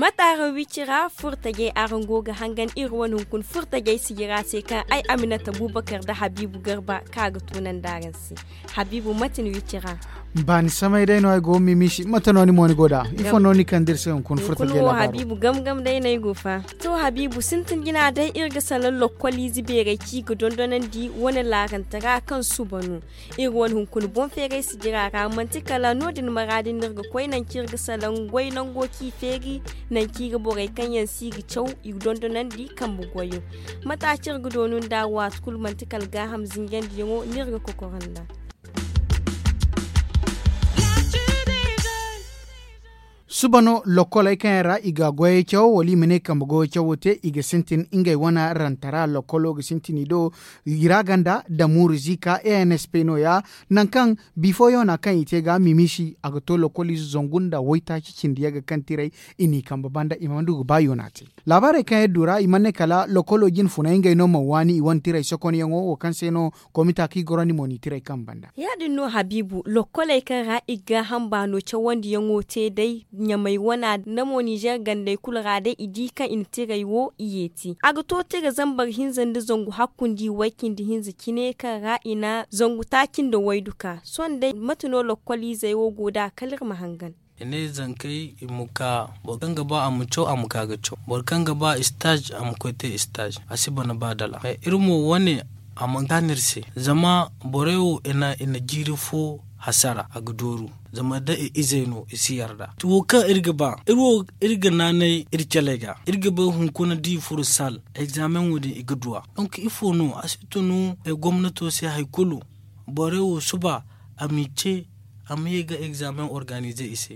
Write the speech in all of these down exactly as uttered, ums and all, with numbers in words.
Mate araŋ wicira furtajey araŋ go ga hangan iri wane hunkuna furtajey sijira se kaŋ ay aminata bubakar nda habiibu garba kaŋ a ga tunandi araŋ se. Habiibu mate ni wicira? Baani samay day no ay go ga mimiisi mate no ni mo ni go nd'a? Ifo no ni kande iri se hunkuna furtajey labaaro? Habiibu gam gam day no ay go fa. To habiibu sintin jina day iri ga salaŋ lokkoliize beerey kaŋ i ga dondonandi wane laarante ra kaŋ suba no. Iri wane hunkuna boŋ feeray sijira ra manti kala no- din maraadi no iri ga koy nangu kaŋ iri ga salaŋ goy nango kaŋ i feeri, nangu kaŋ i ga borey kaŋ yaŋ se i ga caw i ga dondonandi kambe goyo. Mate a ci iri ga doonu nd'a waati kulu manti kala gaaham zinjandiyaŋo no iri ga kokoro nd'a. Suba no lokkoley kaŋ yaŋ ra i ga goyey cawo wala i ma ne kambe goyo cawo te i ga sintin ngey wane rantara lokkolo ga sintin i do. I ra ganda damuuru ziika e n s p no- ya. Nangu kaŋ bifo yoona kaŋ i te ga mimiisi a ga to lokkoliize zangu nda waytaaci cindi yagga kaŋ tiray i n'i kambe banda i mana du ga ba yoona te. Laabaarey kaŋ iri du ra i mana ne kala lokkolo jine funay ngey no mana waani i wane tiray sokonyaŋo wo kaŋ se no komita kaŋ i gorandi mo n'i tiray kambe banda. Ya- din no habiibu lokkoley kaŋ ra i ga gaaham baano cawandiyaŋo te day ɲamay wana nda mo ninzeer gandey kulu ra day i di kaŋ i na tiray wo i yeeti a ga to tira zambar hinza nda zangu hakkundi way-cindi-hinza cine kaŋ ra i na zangu taaci nda waydu ka sohõ day mate no lokkoliizey wo go nd'a kala iri ma hangan. I ne zankey i ma ka boro kaŋ ga ba a ma caw a ma ka ga caw boro kaŋ ga ba istaaz a ma koy te istaaz a si bana ba dala. Iri mo wane a mana kaanu iri se zama borey wo i na jiiri fo hasara a ga dooru. Zama da i izey no i si yarda wo kaŋ iri ga ba iri wo iri ga naanay iri caley ga iri ga bay hunkuna da i furo saal egzaameŋo din i ga du a. Donk ifo no a si tunu gomnato se hari kulu borey wo suba a m'i ce a ma ye ga egzaameŋ organize i se.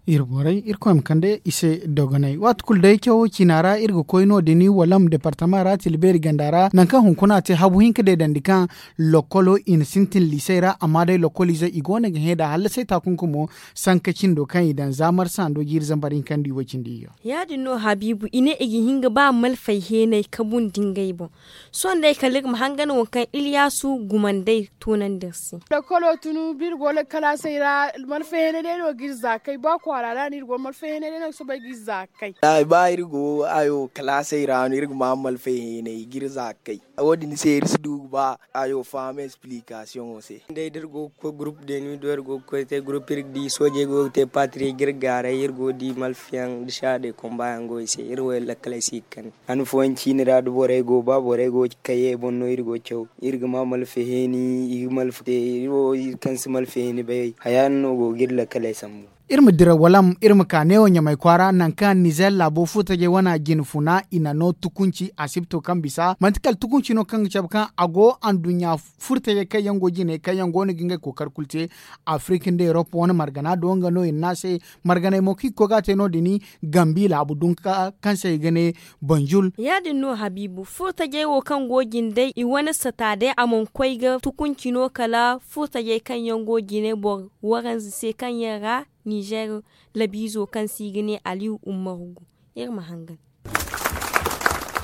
Iri borey irkoy ma kande i se dogonay waati kulu day cawo ciina ra iri ga koy no- din walam departama ra tila beeri ganda ra nangu kaŋ hunkuna te habu hinka deedandi kaŋ lokkolo i na sintin liisey ra amma day lokkoliizey i go no ga hẽ nd'a hallasay taakunku mo sanka cindo kaŋ i daŋ za marsa ndo jiiri zambar hinka nda i way-cindi iyyo. Ya- din no habiibu i ne i ga hin ga ba malfay heenay kabu nda ngey boŋ. Sohõ day kala iri ma hangan waŋ kaŋ iliyaasu gumandey tunandi iri se. Lakkalo tun ba iri go lakkalaasey ra malfaheenay day no ga iri za kay ba kwaara ra no iri go malfaheenay day no ga soobay ga iri za kay. Ba iri go ayo kalaasey ra no iri ga ma malfaheenay ga iri za kay. Wo- din se iri si du ga ba ayo faham esplikasiyoŋo se. Day da iri go ga koy gurup deeni do iri go ga koy te gurup iri ga di soojey go ga te paatiri ga iri gaaray iri go ga di malfayaŋ nda saadey komba yaŋ go i se iri wo iri lakkaley si ga kani. Han fooyaŋ ciini ra da borey go ba borey go ga kay i boŋ no iri go ga caw iri ga ma malfa heeni i ga malfa te iri wo iri kaŋ si malfa heeni bay haya yaŋ no go ga iri lakkaley sambu. Iri ma dira walam iri ma ka neewo ɲamay kwaara nangu kaŋ nizer laabo furtajey wana jine funa i na no tukunci asibto kaŋ bisa manti kala tukunci no kaŋ ga cabe kaŋ a go anduɲɲa furtajey kaŋ yaŋ go jine kaŋ yaŋ go no ga ngey kookari kulu te. Afirik nda erop wane margana do nga no i na ne a se marganey mo kaŋ i ga koy ga a te no- din gambi laabu dunka kaŋ se i ga ne banjul. Ya- din no habiibu furtajey wo kaŋ go jine day i wane sata day a mana koy ga tukunci no kala furtajey kaŋ yaŋ go jine boro waranza se kaŋ yaŋ ra nizer labiizo kaŋ se i ga ne aliyu ummaru gu. Iri ma hangan.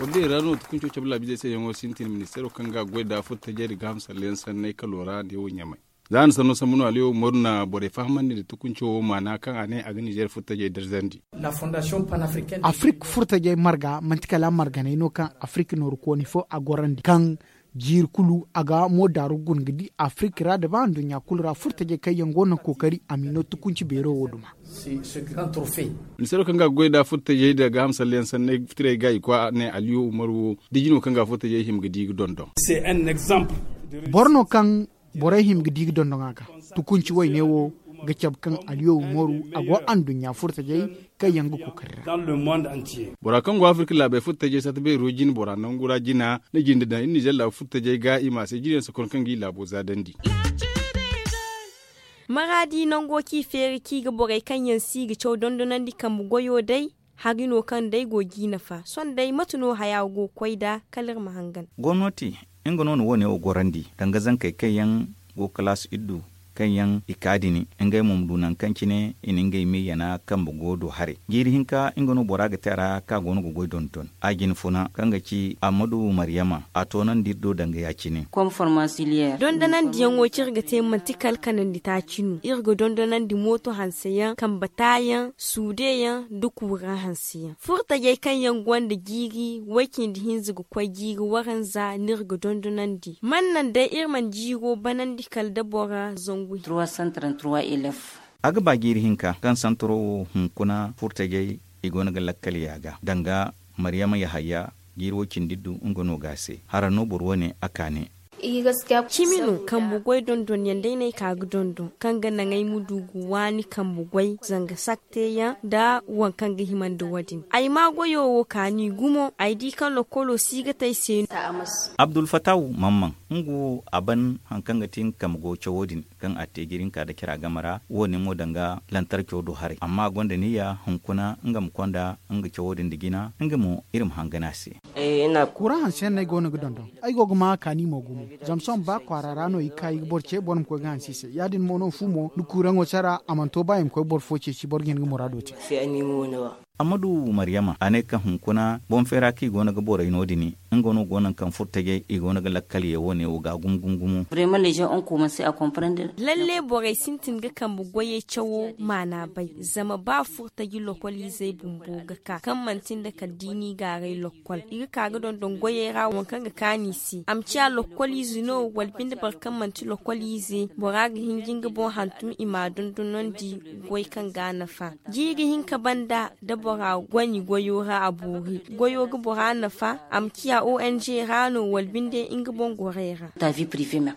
Wala day ra no tukunco cabe laabiizey se yaŋo sintin ministeero kaŋ ga goy nda furtajey nda gaaham salleyaŋ sanney kalo ra neewo ɲamay. Za a na sanno sambu no aliyo umaru na borey fahamandi nda tukunco wo maana kaŋ a ne a ga nizer furtajey darzandi. Afirik furtajey marga manti kala marganey no kaŋ afirik nooru kooni fo a gorandi kaŋ jiiri kulu a ga mo daaru guna ga di afirik ra nda ba nduɲɲa kulu ra furtajey kaŋ yaŋ go no kookari a ma i no tukunci beero wo duma. Ministeero kaŋ ga goy nda furtajey nda gaaham salleyaŋ sanney fitirey ga i koy a ne aliyo umaru wo da jino kaŋ ga furtajey hima ga di ga dondon. Boro no kaŋ borey hima ga di ga dondon a ga tukunci wayne wo ga cabe kaŋ aliyo umaru a go anduɲɲa furtajey kaŋ yaŋ ga kookari ra. Bora kaŋ go afirik laabey furtajey sata beero jine bora nangu ra jina na jinde daŋ iri nizer laabo furtajey ga i ma a se jine yaŋ si kon kaŋ ga i laabo zaadandi. Maraadi nango kaŋ i feeri kaŋ i ga borey kaŋ yaŋ si ga caw dondonandi kambe goyo day. Hari no kaŋ day go ga i nafa sohõ day mate no haya go ga koy nd'a kala iri ma hangan. Gomnati nga no na wo- ne wo gorandi danga zankey kaŋ yaŋ go kalaasi iddu kaŋ yaŋ i ka din, ngey mo ma du nangu kaŋ cine i na ngey me yana kambe go do haray. Jiiri hinka nga no bora ga te a ra kaŋ a go no ga goy dondon a jina funa kaŋ ga ci ammadu maryama a toonandi iri do danga ya- cine. Dondonandiyaŋo kaŋ iri ga te manti kala kanandi taaci no. Iri ga dondonandi mooto hanse yaŋ kambe taayaŋ suude yaŋ nda kuuraŋ hanse yaŋ furtajey kaŋ yaŋ gonda jiiri way- cindi hinza ga koy jiiri waranza no iri ga dondonandi man naŋ day iri mana jiiro banandi kala da bora zangu hinka. A ga ba jiiri hinka kaŋ santaro wo hunkuna furtajey i go no ga lakkal yaaga danga maryama yahaya jiiri wo cindi du nga no ga a se hara no boro wo- ne a ka ne. Cimi no kambe goy dondonyaŋ day no ay ka ga dondon kaŋ ga naŋ ay ma du ga waani kambe goy zanga sakteyaŋ nda waŋ kaŋ ga hima nda wo- din ay ma goyo wo kaani gumo ay di kaŋ lokkolo si ga te ay se no. Abdulfatahu mamman nga wo a ban hari kaŋ ga ti nga kambe goy cawo din kaŋ a te jiiri hinka nda cara game ra wo- ne mo danga lantarco do haray amma a gonda niyya hunkuna nga ma konda nga cawo din nda jina nga mo iri ma hangan a se. Kuraŋ hanseyaŋ no ay go no ga dondon. Ay go ga maa kaani mo gumo zama sohõ ba kwaara ra no i ga ka i ga boro ce boro ma koy ga hanse i se ya- din mo no fu mo ni kuraŋo sara a mana to ba i ma koy boro fo ceeci boro ga hin ga muraado te. Ammadu maryama a ne kaŋ hunkuna boŋ feera kaŋ i go no ga borey no- din nga no go naŋ kaŋ furtajey i go no ga lakkal ye wo- ne wo ga gumo gumo gumo. Lalle borey sintin ga kambe goyey cawo maana bay zama ba furtaji lokoliizey bumbo ga ka kaŋ manti nda kala da i n'i gaaray lokkol i ga ka ga dondon goyey ra waŋ kaŋ ga kaanu i se a ma ciya lokkoliize no wala binde boro kaŋ manti lokkoliize bora ga hin ga nga boŋ hantum i m'a dondonandi goy kaŋ ga a nafa jiiri hinka banda da bora goni goyo ra a boori goyo ga bora nafa a ma ciya ong ra no wala binde nga boŋ gorey ra.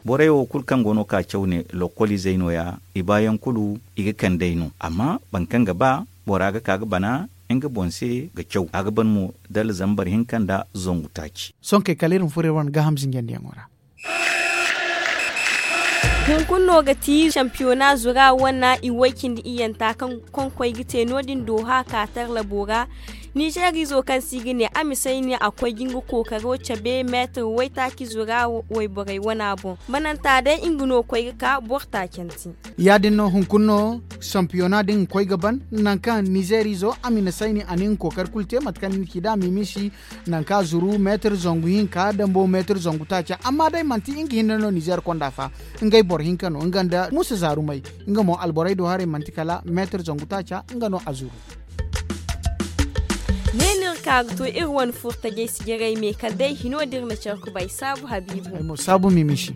Borey wo kulu kaŋ go no ka caw ne lokkoliizey no- ya i baayaŋ kulu i ga kand'ey no amma boro kaŋ ga ba bora ga ka ga bana nga boŋ se ga caw a ga ban mo dala zambar hinka nda zangu taaci. Sonkey kala iri ma furo iri wane gaaham zinjandiyaŋo ra. Hunkuna no ga ti sampiyona zura wana i way cindi iyyanta kaŋ konkoy ga te no- din dooha ka tarlabo ra. Nizeer izo kaŋ se i ga ne a misay ne a koy ga nga kookaro cabe meetir waytaaci zura wayborey wana boŋ mananta day nga no koy ga ka boro taacante. Ya- din no hunkuna no sampiyona din ga koy ga ban nangu kaŋ nizeer izo a ma i na sayni a na nga kookari kulu te mate kaŋ ni na ci nd'a mimisi nangu kaŋ a zuru meetir zangu hinka dambo meetir zangu taaca amma day manti nga hinne no nizeer konda fa. Ngey boro hinka no nga nda muusa zaarumey nga mo alborey do haray manti kala meetir zangu taaca nga no a zuru. Ne no iri ka ga to iri wane furtajey sijiray me kala day hino da iri na care kubay saabu habiibu. Ay mo saabu mimisi.